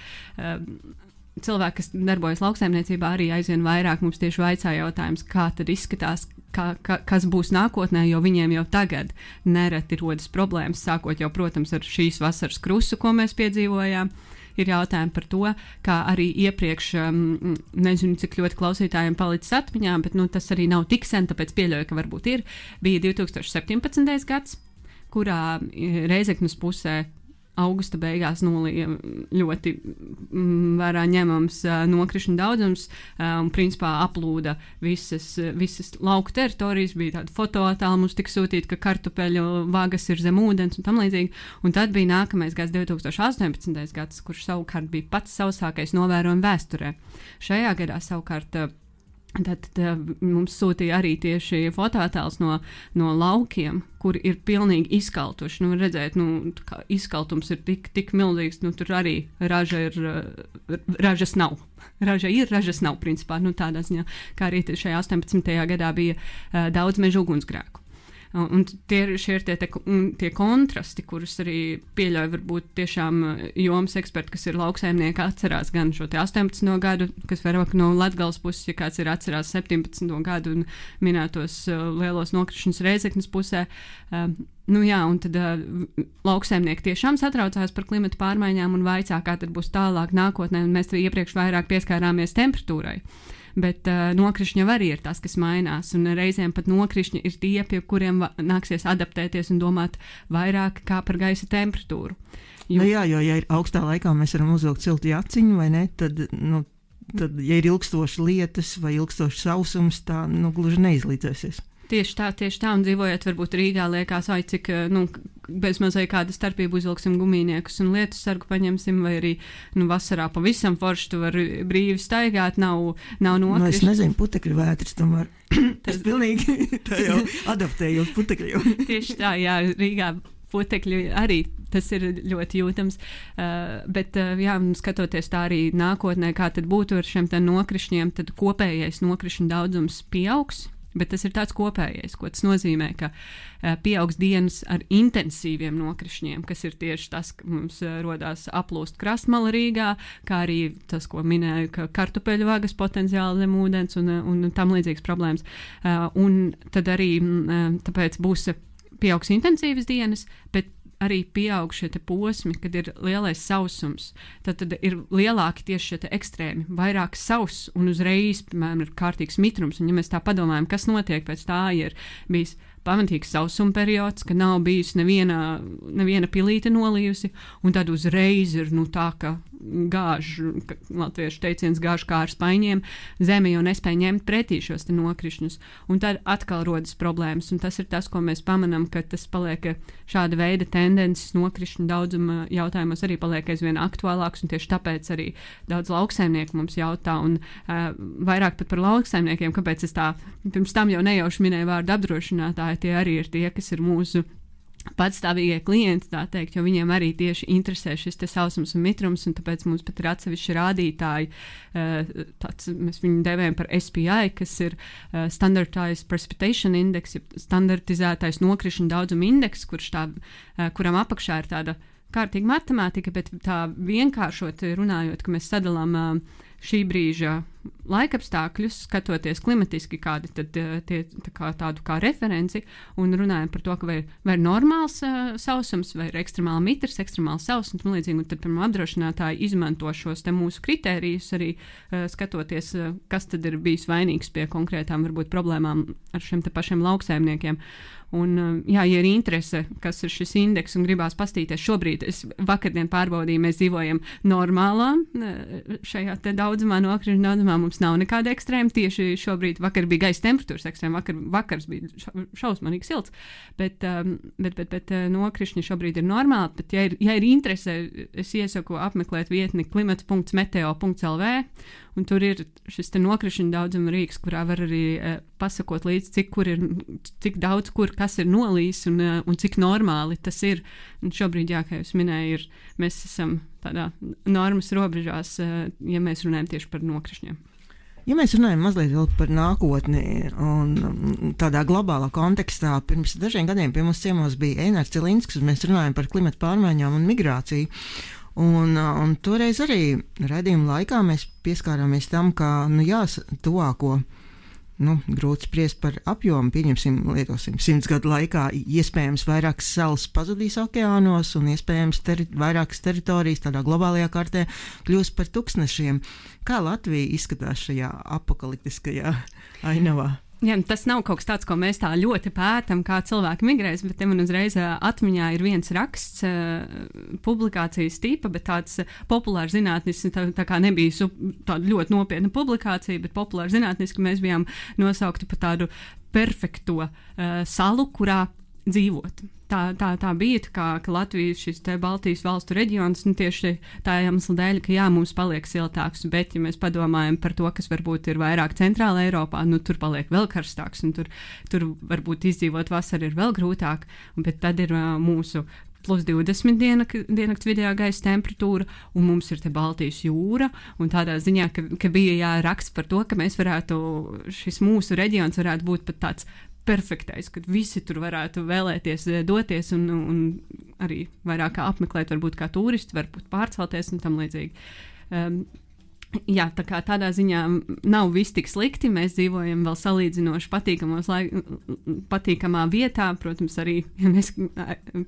cilvēki, kas darbojas lauksaimniecībā, arī aizvien vairāk mums tieši vaicā jautājums, kā tad izskatās, kā, kā, kas būs nākotnē, jo viņiem jau tagad nereti rodas problēmas, sākot jau, protams, ar šīs vasaras krusu, ko mēs piedzīvojām. Ir jautājumi par to, kā arī iepriekš, um, nezinu, cik ļoti klausītājiem palicis atmiņā, bet nu, tas arī nav tik sen, tāpēc pieļauju, ka varbūt ir. Bija divi tūkstoši septiņpadsmitais gads, kurā Reizeknas pusē augusta beigās nolīja ļoti mm, vērā ņemams uh, nokrišņu daudzums uh, un principā aplūda visas, visas lauku teritorijas, bija tāda fotoattēla mums tika sūtīta, ka kartupeļu vagas ir zem ūdens un tam līdzīgi. Un tad bija nākamais gads divi tūkstoši astoņpadsmitais gads, kurš savukārt bija pats sausākais novērojumi vēsturē. Šajā gadā savukārt uh, Tad, tad mums sūtīja arī tieši fotoattēls no, no laukiem, kur ir pilnīgi izkaltuši. Nu, redzēt, nu, izkaltums ir tik, tik milzīgs, nu, tur arī raža ir, ražas nav. Raža ir, ražas nav, principā, nu, tādā ziņā, kā arī šajā astoņpadsmitajā gadā bija uh, daudz mežu ugunsgrēku. Un tie, šie ir tie, tie, tie kontrasti, kurus arī pieļauj varbūt tiešām jomas eksperti, kas ir lauksaimnieki, atcerās gan šo te astoņpadsmito gadu, kas vairāk no Latgales puses, ja kāds ir atcerās septiņpadsmito gadu un minētos uh, lielos nokrišņus Reizeknas pusē. Uh, nu jā, un tad uh, lauksaimnieki tiešām satraucās par klimata pārmaiņām un vaicā, kā tad būs tālāk nākotnē, un mēs iepriekš vairāk pieskārāmies temperatūrai. Bet uh, nokrišņi arī ir tas, kas mainās, un reizēm pat nokrišņi ir tie, pie kuriem va- nāksies adaptēties un domāt vairāk kā par gaisa temperatūru. Jo, nu jā, jo, ja ir augstā laikā mēs varam uzvilkt siltu jaciņu, vai ne, tad, nu, tad, ja ir ilgstoši lietas vai ilgstoši sausums, tā, nu, gluži neizlīdzēsies. Tieši tā, tieši tā, un dzīvojot varbūt Rīgā liekas, ai, cik, nu, bez mazai kāda starpība uzvilksim gumijniekus un lietus sargu paņemsim, vai arī, nu, vasarā pavisam forši tu var brīvi staigāt, nav, nav nokrišņi. Nu, es nezinu, putekļu vētras tomēr. Tas pilnīgi tā jau adaptējos putekļu. Tieši tā, jā, Rīgā putekļi arī tas ir ļoti jūtams, uh, bet, uh, jā, skatoties tā arī nākotnē, kā tad būtu ar šiem tā nokrišņiem, tad kopējais nokrišņu daudzums pieaugs. Bet tas ir tāds kopējais, ko tas nozīmē, ka uh, pieaugs dienas ar intensīviem nokrišņiem, kas ir tieši tas, ka mums uh, rodās aplūst krastmala Rīgā, kā arī tas, ko minēju, ka kartupeļu vagas potenciāli zem ūdens un, un tam līdzīgas problēmas. Uh, un tad arī uh, tāpēc būs pieaugs intensīvas dienas, bet arī pieaug šie te posmi, kad ir lielais sausums. Tad, tad ir lielāki tieši šie te ekstrēmi, vairāk sauss un uzreiz, piemēram, ir kārtīgs mitrums. Un ja mēs tā padomājam, kas notiek pēc tā, ir bijis pamatīgs sausuma periods, ka nav bijusi neviena, neviena pilīte nolījusi, un tad uzreiz ir nu, tā, ka gāž, ka latviešu teiciens gāž kā ar spaiņiem, zeme jau nespēja ņemt pretī šos te nokrišņus, un tad atkal rodas problēmas, un tas ir tas, ko mēs pamanām, ka tas paliek šāda veida tendences nokrišņu daudzuma jautājumos arī paliek aizvien aktuālāks, un tieši tāpēc arī daudz lauksaimnieku mums jautā, un uh, vairāk pat par lauksaimniekiem, kāpēc es tā pirms tam jau nejauši minēju vārdu apdrošinātāji, tie arī ir tie, kas ir mūsu patstāvīgie klienti, tā teikt, jo viņiem arī tieši interesē šis te sausums un mitrums, un tāpēc mums pat ir atsevišķi rādītāji, tāds, mēs viņu devējam par S P I, kas ir Standardized Precipitation Index, standartizētais nokrišņu daudzuma indeks, kurš tā, kuram apakšā ir tāda kārtīga matemātika, bet tā vienkāršot runājot, ka mēs sadalām šī brīža laikapstākļus, skatoties klimatiski kādi tad tie tā kā tādu kā referenci un runājam par to, ka vai, vai ir normāls uh, sausums, vai ir ekstremāli mitrs, ekstremāli sausums un līdzīgi, un tad, piemēram, apdrošinātāji izmanto šos te mūsu kritērijus arī uh, skatoties, uh, kas tad ir bijis vainīgs pie konkrētām varbūt problēmām ar šiem te pašiem lauksaimniekiem. Un, jā, ja ir interese, kas ir šis indeks un gribās pastīties, šobrīd es vakardien pārbaudīju, mēs dzīvojam normālā šajā te daudzumā, nokrišņu daudzumā, mums nav nekāda ekstrēma, tieši šobrīd vakar bija gaisa temperatūras ekstrēma, vakar, vakars bija šausmanīgi silts, bet, bet, bet, bet nokrišņi šobrīd ir normāli, bet ja ir, ja ir interese, es iesaku apmeklēt vietni klimats punkts meteo punkts L V, un tur ir šis te nokrišņu daudzuma rīks, kurā var arī uh, pasakot līdz, cik, kur ir, cik daudz, kur kas ir nolīs un, uh, un cik normāli tas ir. Un šobrīd, jā, kā jūs minēju, ir, mēs esam tādā normas robežās, uh, ja mēs runājam tieši par nokrišņiem. Ja mēs runājam mazliet vēl par nākotni un tādā globālā kontekstā, pirms dažiem gadiem pie mums ciemos bija Einārs Celinsks, un mēs runājam par klimatu pārmaiņām un migrāciju. Un, un toreiz arī raidījuma laikā mēs pieskārāmies tam, ka, nu jā, tuvāko, nu, grūti spriest par apjomu, pieņemsim, lietosim, simts gadu laikā iespējams vairākas salas pazudīs okeānos un iespējams teri, vairākas teritorijas tādā globālajā kartē kļūs par tūkstnešiem. Kā Latvija izskatās šajā apokaliptiskajā ainavā? Jā, tas nav kaut kas tāds, ko mēs tā ļoti pētam, kā cilvēki migrēs, bet te man uzreiz atmiņā ir viens raksts, publikācijas tipa, bet tāds populārs zinātnis, tā, tā kā nebija tāda ļoti nopietna publikācija, bet populārs zinātnis, ka mēs bijām nosaukti par tādu perfekto uh, salu, kurā dzīvot. Tā, tā, tā bija, tā kā, ka Latvijas šis te Baltijas valstu reģions, nu tieši tā iemesla dēļ, ka jā, mums paliek siltāks, bet ja mēs padomājam par to, kas varbūt ir vairāk centrāla Eiropā, nu tur paliek vēl karstāks, un tur, tur varbūt izdzīvot vasaru ir vēl grūtāk, bet tad ir uh, mūsu plus divdesmit diennakts vidējā gaisa temperatūra, un mums ir te Baltijas jūra, un tādā ziņā, ka, ka bija jāraksts par to, ka mēs varētu, šis mūsu reģions varētu būt pat tāds perfektais, kad visi tur varētu vēlēties doties un, un arī vairāk apmeklēt, varbūt kā turisti, varbūt pārcelties un tam līdzīgi. Um, jā, tā kā tādā ziņā nav viss tik slikti, mēs dzīvojam vēl salīdzinoši patīkamos laik, patīkamā vietā, protams, arī, ja mēs,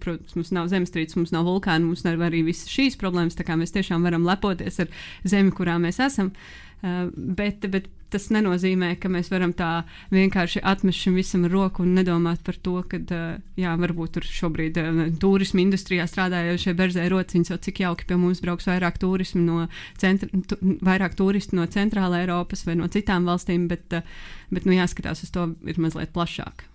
protams, mums nav zemestrīces, mums nav vulkāni, mums nav arī visas šīs problēmas, tā kā mēs tiešām varam lepoties ar zemi, kurā mēs esam. Uh, bet, bet tas nenozīmē, ka mēs varam tā vienkārši atmest šim visam roku un nedomāt par to, ka, uh, jā, varbūt tur šobrīd uh, turismu industrijā strādājošie berzē rociņas, jau cik jauki pie mums brauks vairāk turismu no centra, tu, vairāk turistu no centrāla Eiropas vai no citām valstīm, bet, uh, bet nu jāskatās uz to ir mazliet plašāk.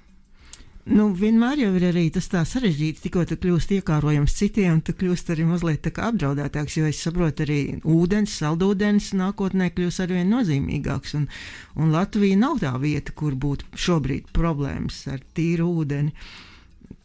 Nu, vienmēr jau ir arī tas tā sarežģīti, tikko tu kļūst iekārojams citiem, tu kļūst arī mazliet tā kā apdraudētāks, jo es saprotu arī ūdens, saldūdens nākotnē kļūs arvien nozīmīgāks, un, un Latvija nav tā vieta, kur būtu šobrīd problēmas ar tīru ūdeni.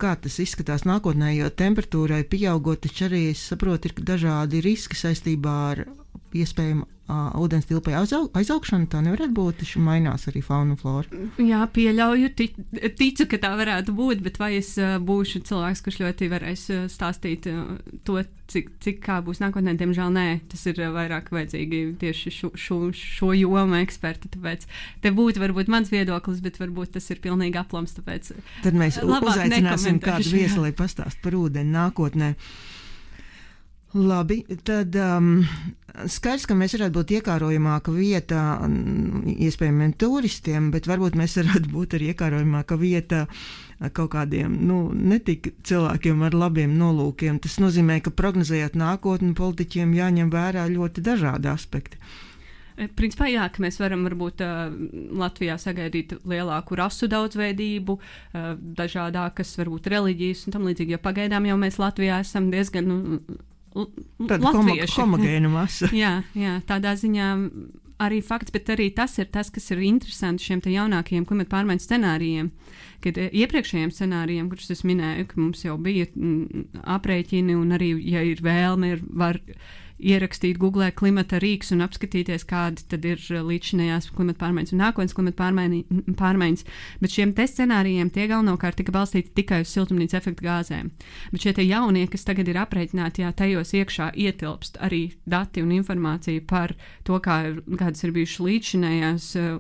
Kā tas izskatās nākotnē, jo temperatūrai pieaugot, taču arī, es saprotu, ir dažādi riski saistībā ar iespējamu uh, ūdens tilpai aizaug, aizaugšana, tā nevarētu būt, taču mainās arī fauna un flora. Jā, pieļauju, tic, ticu, ka tā varētu būt, bet vai es uh, būšu cilvēks, kurš ļoti varēs uh, stāstīt uh, to, cik, cik kā būs nākotnē, diemžēl nē, tas ir uh, vairāk vajadzīgi tieši šo, šo, šo jomu eksperti, tāpēc te būtu varbūt mans viedoklis, bet varbūt tas ir pilnīgi aplams, tāpēc tad mēs uzaicināsim kādu viesi, lai pastāst par ūdeni nākotnē. Labi, tad um, skaidrs, ka mēs varētu būt iekārojamāka vieta iespējamiem turistiem, bet varbūt mēs varētu būt arī iekārojamāka vieta kaut kādiem, nu, netik cilvēkiem ar labiem nolūkiem. Tas nozīmē, ka prognozējot nākotni, politiķiem jāņem vērā ļoti dažādi aspekti. Principā jā, ka mēs varam varbūt uh, Latvijā sagaidīt lielāku rasu daudzveidību, uh, dažādākas varbūt reliģijas un tam līdzīgi, jo pagaidām jau mēs Latvijā esam diezgan nu, tāda homogēna masa. jā, jā, tādā ziņā arī fakts, bet arī tas ir tas, kas ir interesanti šiem te jaunākajiem klimata pārmaiņu scenārijiem, kad iepriekšējiem scenārijiem, kurus es minēju, ka mums jau bija m, aprēķini un arī, ja ir vēlme, ir var ierakstīt Google klimata rīks un apskatīties, kādi tad ir līdzinējās klimata pārmaiņas un nākotnes klimata pārmaiņas, bet šiem te scenārijiem tie galvenokārt tika balstīti tikai uz siltumnīca efekta gāzēm. Bet šie te jaunie, kas tagad ir aprēķināti, jā, tajos iekšā ietilpst arī dati un informācija par to, kā, kādas ir bijušas līdzinējās uh,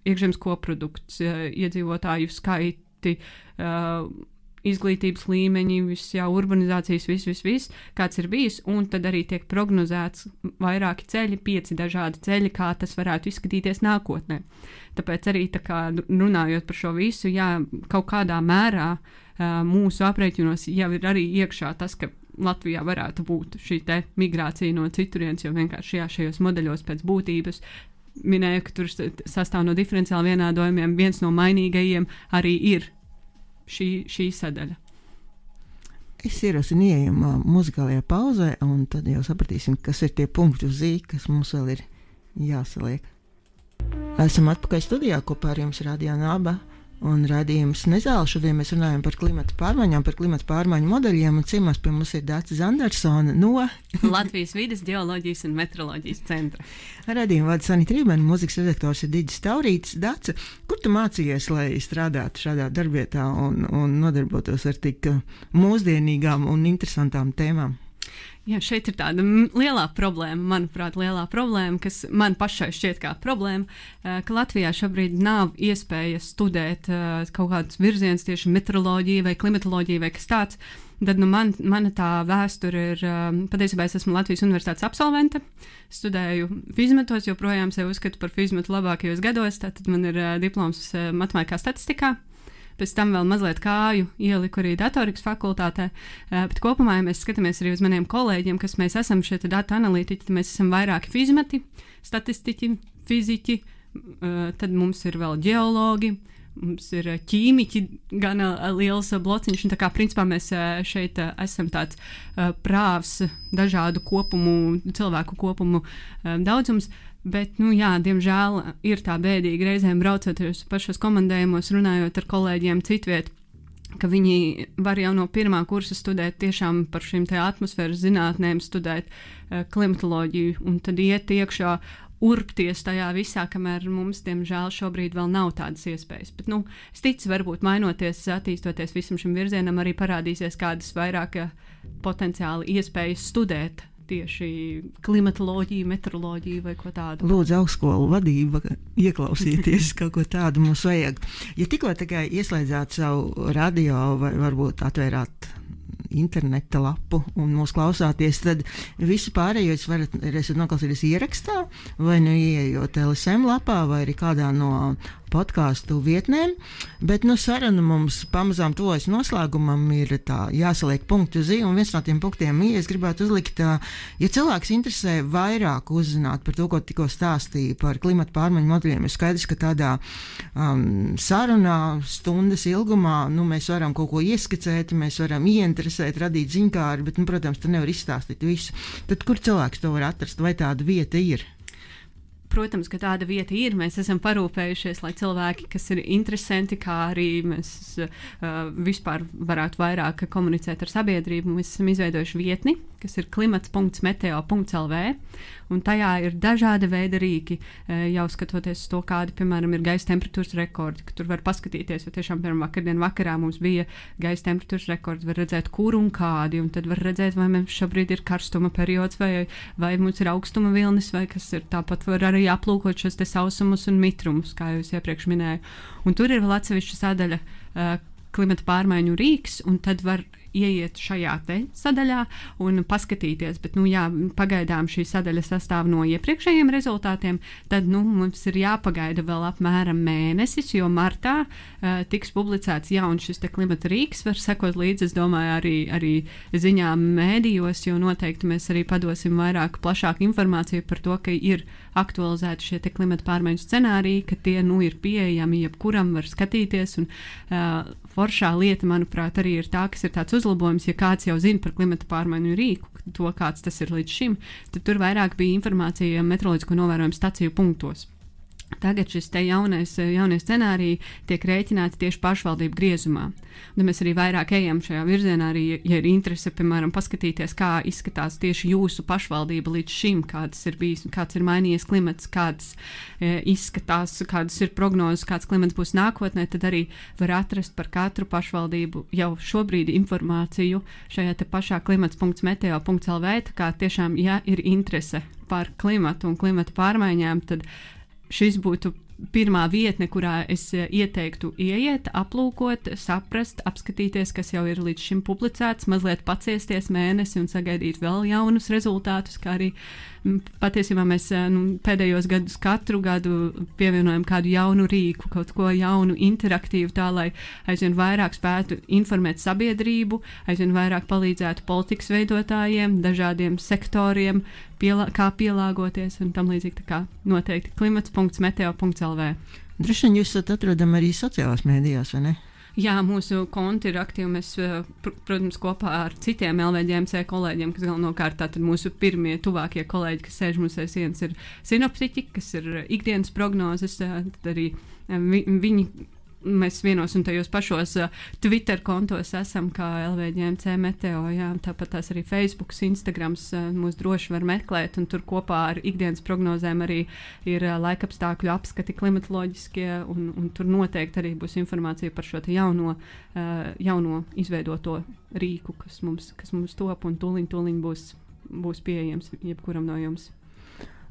iekšzemes koprodukts, uh, iedzīvotāju skaiti, uh, izglītības līmeņi, viss jau urbanizācijas, viss, viss, viss, kāds ir bijis, un tad arī tiek prognozēts vairāki ceļi, pieci dažādi ceļi, kā tas varētu izskatīties nākotnē. Tāpēc arī tā kā runājot par šo visu, jā, kaut kādā mērā uh, mūsu aprēķinos jau ir arī iekšā tas, ka Latvijā varētu būt šī te migrācija no citurienes, jo vienkārši jā, šajos modeļos pēc būtības minēju, ka tur sastāv no diferenciāli vienādojumiem, viens no mainīgajiem arī ir Šī, šī sadaļa. Es ierosinu ieejam uh, muzikālajā pauzē, un tad jau sapratīsim, kas ir tie punkti uz ī, kas mums vēl ir jāsaliek. Esam atpakaļ studijā, kopā ar jums Radio Naba un raidījums Nezāle. Šodien mēs runājam par klimata pārmaiņām, par klimata pārmaiņu modeļiem, un ciemos pie mums ir Dace Zandersone no Latvijas vides, geoloģijas un meteoroloģijas centra. Radījuma vada Sanita Rībena, mūzikas redaktors ir Digis Taurītis. Dace, kur tu mācījies, lai strādātu šādā darbietā un, un nodarbotos ar tik mūsdienīgām un interesantām tēmām? Jā, šeit ir tāda lielā problēma, manuprāt, lielā problēma, kas man pašai šķiet kā problēma, ka Latvijā šobrīd nav iespēja studēt kaut kādus virzienus tieši meteoroloģiju vai klimatoloģiju vai kas tāds. Tad nu, man, mana tā vēsture ir, patiesībā es esmu Latvijas universitātes absolvente, studēju fizmetos, joprojām sevi uzskatu par fizmetu labākajos gados, tātad man ir diploms matemātikā statistikā. Pēc tam vēl mazliet kāju ieliku arī datorikas fakultātē, bet kopumā, ja mēs skatāmies arī uz maniem kolēģiem, kas mēs esam šie datu analītiķi, mēs esam vairāki fizmeti, statistiķi, fiziķi, tad mums ir vēl ģeologi, mums ir ķīmiķi, gan liels blociņš, un tā kā principā mēs šeit esam tāds prāvs dažādu kopumu, cilvēku kopumu daudzums. Bet, nu jā, diemžēl ir tā bēdīgi reizēm braucoties pašos komandējumos, runājot ar kolēģiem citviet, ka viņi var jau no pirmā kursa studēt tiešām par šīm te atmosfēras zinātnēm, studēt uh, klimatoloģiju un tad iet iekšā, urpties tajā visā, kamēr mums, diemžēl, šobrīd vēl nav tādas iespējas. Bet, nu, es ticu, varbūt mainoties, attīstoties visam šim virzienam, arī parādīsies kādas vairāk potenciāli iespējas studēt tieši klimatoloģiju, meteoroloģiju vai ko tādu. Lūdzu, augstskolu vadība, ieklausieties, kaut ko tādu mums vajag. Ja tikko tikai ieslēdzāt savu radio vai varbūt atvērāt interneta lapu un mūs klausāties, tad visu pārējo jūs varat, esat noklausīties ierakstā vai nu ieejot L S M lapā vai arī kādā no podcastu vietnēm, bet nu saruna mums pamazām tuvojas noslēgumam, ir tā jāsaliek punktu uz i, un viens no tiem punktiem i, es gribētu uzlikt, ja cilvēks interesē vairāk uzzināt par to, ko tikko stāstīja par klimata pārmaiņu modeļiem, ir skaidrs, ka tādā um, sarunā stundas ilgumā, nu mēs varam kaut ko ieskicēt, mēs varam ieinteresēt, radīt ziņkāri, bet, nu, protams, tu nevar izstāstīt visu. Tad kur cilvēks to var atrast, vai tāda vieta ir? protams, ka tāda vieta ir. Mēs esam parūpējušies, lai cilvēki, kas ir interesanti, kā arī mēs uh, vispār varētu vairāk komunicēt ar sabiedrību, mēs esam izveidojuši vietni, kas ir klimats punkts meteo punkts el vē, un tajā ir dažādi veidi rīki, jau skatoties uz to, kādi, piemēram, ir gaisa temperatūras rekordi, ka tur var paskatīties, jo tiešām, piemēram, vakardien vakarā mums bija gaisa temperatūras rekordi, var redzēt, kur un kādi, un tad var redzēt, vai mums šobrīd ir karstuma periods, vai, vai mums ir augstuma vilnis, vai kas ir. Tāpat var arī aplūkot šos te sausumus un mitrumus, kā jau es iepriekš minēju. Un tur ir vēl atsevišķa sadaļa uh, klimata pārmaiņu rīks, un tad var ieiet šajā te sadaļā un paskatīties, bet, nu jā, pagaidām šī sadaļa sastāv no iepriekšējiem rezultātiem, tad, nu, mums ir jāpagaida vēl apmēram mēnesis, jo martā uh, tiks publicēts jauns šis te klimata rīks, var sekot līdzi, es domāju, arī, arī ziņām mēdījos, jo noteikti mēs arī padosim vairāk plašāku informāciju par to, ka ir aktualizēti šie te klimata pārmaiņu scenāriji, ka tie, nu, ir pieejami, jebkuram var skatīties, un uh, foršā lieta, manuprāt, arī ir tā, kas ir tāds uzlabojums, ja kāds jau zina par klimata pārmaiņu rīku, to kāds tas ir līdz šim, tad tur vairāk bija informācija meteoroloģisko novērojumu staciju punktos. Tagad šis te jaunais, jaunie scenāriji tiek rēķināti tieši pašvaldību griezumā. Un mēs arī vairāk ejam šajā virzienā, arī, ja ir interese, piemēram, paskatīties, kā izskatās tieši jūsu pašvaldība līdz šim, kāds ir bijis, kāds ir mainījies klimats, kāds e, izskatās, kādas ir prognozes, kāds klimats būs nākotnē, tad arī var atrast par katru pašvaldību jau šobrīd informāciju šajā te pašā klimats punkts meteo punkts el vē, tā kā tiešām, ja ir interese par klimatu un klimata pārmaiņām, tad šis būtu pirmā vietne, kurā es ieteiktu ieiet, aplūkot, saprast, apskatīties, kas jau ir līdz šim publicēts, mazliet paciesties mēnesi un sagaidīt vēl jaunus rezultātus, kā arī patiesībā mēs nu, pēdējos gadus katru gadu pievienojam kādu jaunu rīku, kaut ko jaunu, interaktīvu, tā lai aizvien vairāk spētu informēt sabiedrību, aizvien vairāk palīdzētu politikas veidotājiem, dažādiem sektoriem, pielā, kā pielāgoties un tam līdzīgi. Tā kā noteikti klimats punkts meteo punkts el vē. Droši vien jūs esat atrodami arī sociālās mēdījās, vai ne? Jā, mūsu konti ir aktīvi. Mēs, pr protams, kopā ar citiem el vē ģē em cē kolēģiem, kas galvenokārt tātad mūsu pirmie tuvākie kolēģi, kas sēž mums aiz sienas, ir sinoptiķi, kas ir ikdienas prognozes, tad arī vi viņi. Mēs vienos un tajos pašos uh, Twitter kontos esam, kā el vē ģē em cē Meteo, jā, tāpat tās arī Facebooks, Instagrams uh, mūs droši var meklēt, un tur kopā ar ikdienas prognozēm arī ir uh, laikapstākļu apskati klimatoloģiskie, un, un tur noteikti arī būs informācija par šo te jauno, uh, jauno izveidoto rīku, kas mums, kas mums top, un tūliņ, tūliņ būs, būs pieejams jebkuram no jums.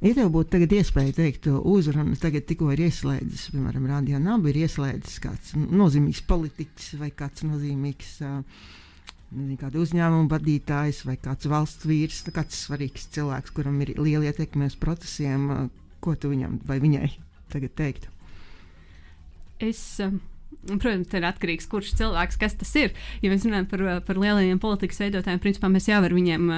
Ja tev būtu tagad iespēja teikt uzrunu, tagad tikko ir ieslēdzis, piemēram, Radio Naba ir ieslēdzis kāds nozīmīgs politiķis vai kāds nozīmīgs nezinu, kāda uzņēmuma vadītājs vai kāds valsts vīrs, kāds svarīgs cilvēks, kuram ir liela ietekme uz procesiem, ko tu viņam vai viņai tagad teiktu? Es... Um... Protams, ir atkarīgs, kurš cilvēks, kas tas ir. Ja mēs runājam par, par lielajiem politikas veidotājiem, principā mēs jau ar viņiem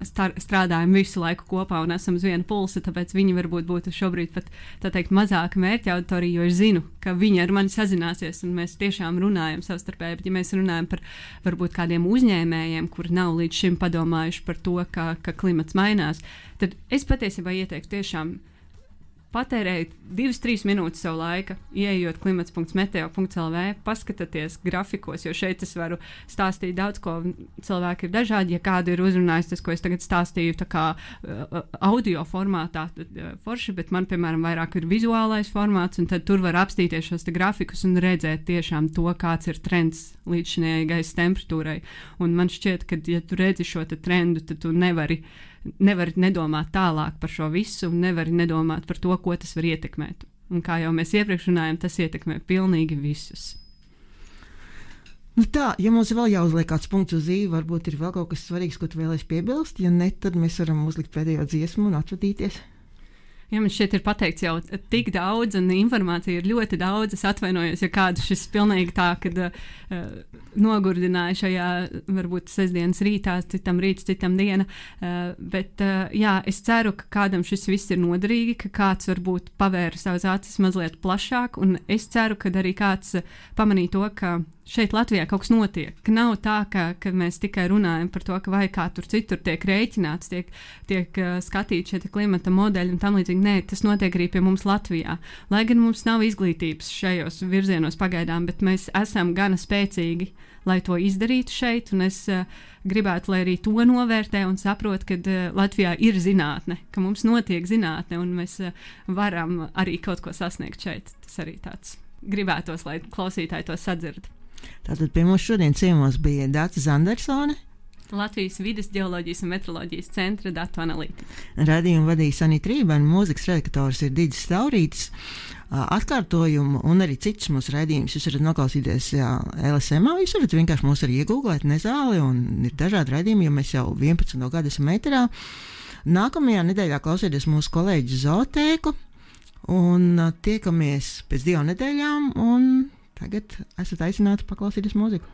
star, strādājam visu laiku kopā un esam uz viena pulsa, tāpēc viņi varbūt būtu šobrīd pat, tā teikt, mazāka mērķa auditorija, jo es zinu, ka viņi ar mani sazināsies un mēs tiešām runājam savstarpēji, bet ja mēs runājam par varbūt kādiem uzņēmējiem, kuri nav līdz šim padomājuši par to, ka, ka klimats mainās, tad es patiesībā ieteiktu tiešām patērēt divas trīs minūtes savu laika, ieejot klimats punkts meteo punkts el vē, paskatieties grafikos, jo šeit es varu stāstīt daudz, ko cilvēki ir dažādi. Ja kādu ir uzrunājis tas, ko es tagad stāstīju, tā kā uh, audio formātā, tad uh, forši, bet man, piemēram, vairāk ir vizuālais formāts, un tad tur var apstīties šos te grafikus un redzēt tiešām to, kāds ir trends līdz šinējai gaisa temperatūrai. Un man šķiet, ka, ja tu redzi šo te trendu, tad tu nevari nevari nedomāt tālāk par šo visu un nevari nedomāt par to, ko tas var ietekmēt. Un kā jau mēs iepriekš runājam, tas ietekmē pilnīgi visus. Nu tā, ja mums vēl jāuzliek kāds punkts uz ī, varbūt ir vēl kaut kas svarīgs, ko tu vēlēsi piebilst, ja ne, tad mēs varam uzlikt pēdējo dziesmu un atvadīties. Ja man šeit ir pateikts jau tik daudz, un informācija ir ļoti daudz, es atvainojos, ja kādu šis pilnīgi tā, kad uh, nogurdināja šajā, varbūt sestdienas rītā, citam rīts, citam diena, uh, bet uh, jā, es ceru, ka kādam šis viss ir noderīgi, ka kāds varbūt pavēra savas acis mazliet plašāk, un es ceru, ka arī kāds pamanīja to, ka šeit Latvijā kaut kas notiek. Ka nav tā, ka, ka mēs tikai runājam par to, ka vai kā tur citur tiek rēķināts, tiek, tiek uh, skatīti šie klimata modeļi un tam līdzīgi. Nē, tas notiek arī pie mums Latvijā. Lai gan mums nav izglītības šajos virzienos pagaidām, bet mēs esam gana spēcīgi, lai to izdarītu šeit, un es uh, gribētu, lai arī to novērtē un saprot, ka uh, Latvijā ir zinātne, ka mums notiek zinātne, un mēs uh, varam arī kaut ko sasniegt šeit. Tas arī tāds gribētos, lai klausītāji to sadzird. Tātad pie mums šodien ciemos bija Dāca Zandersone, Latvijas vides ģeoloģijas un metroloģijas centra datu analītika. Radījumu vadīja Sanita Rībēna, mūzikas redaktors ir Digis Staurītis. Atkārtojumu un arī citus mūsu raidījumus jūs varat noklausīties jā, L S M. Jūs varat vienkārši mūs arī iegūglēt nezāli, un ir dažādi raidījumi, jo mēs jau vienpadsmito gadu esam ēterā. Nākamajā nedēļā klausieties mūsu kolēģi Zootēku, un tiekamies pēc divām nedēļām, un tagad esat aicināti paklausīties mūziku.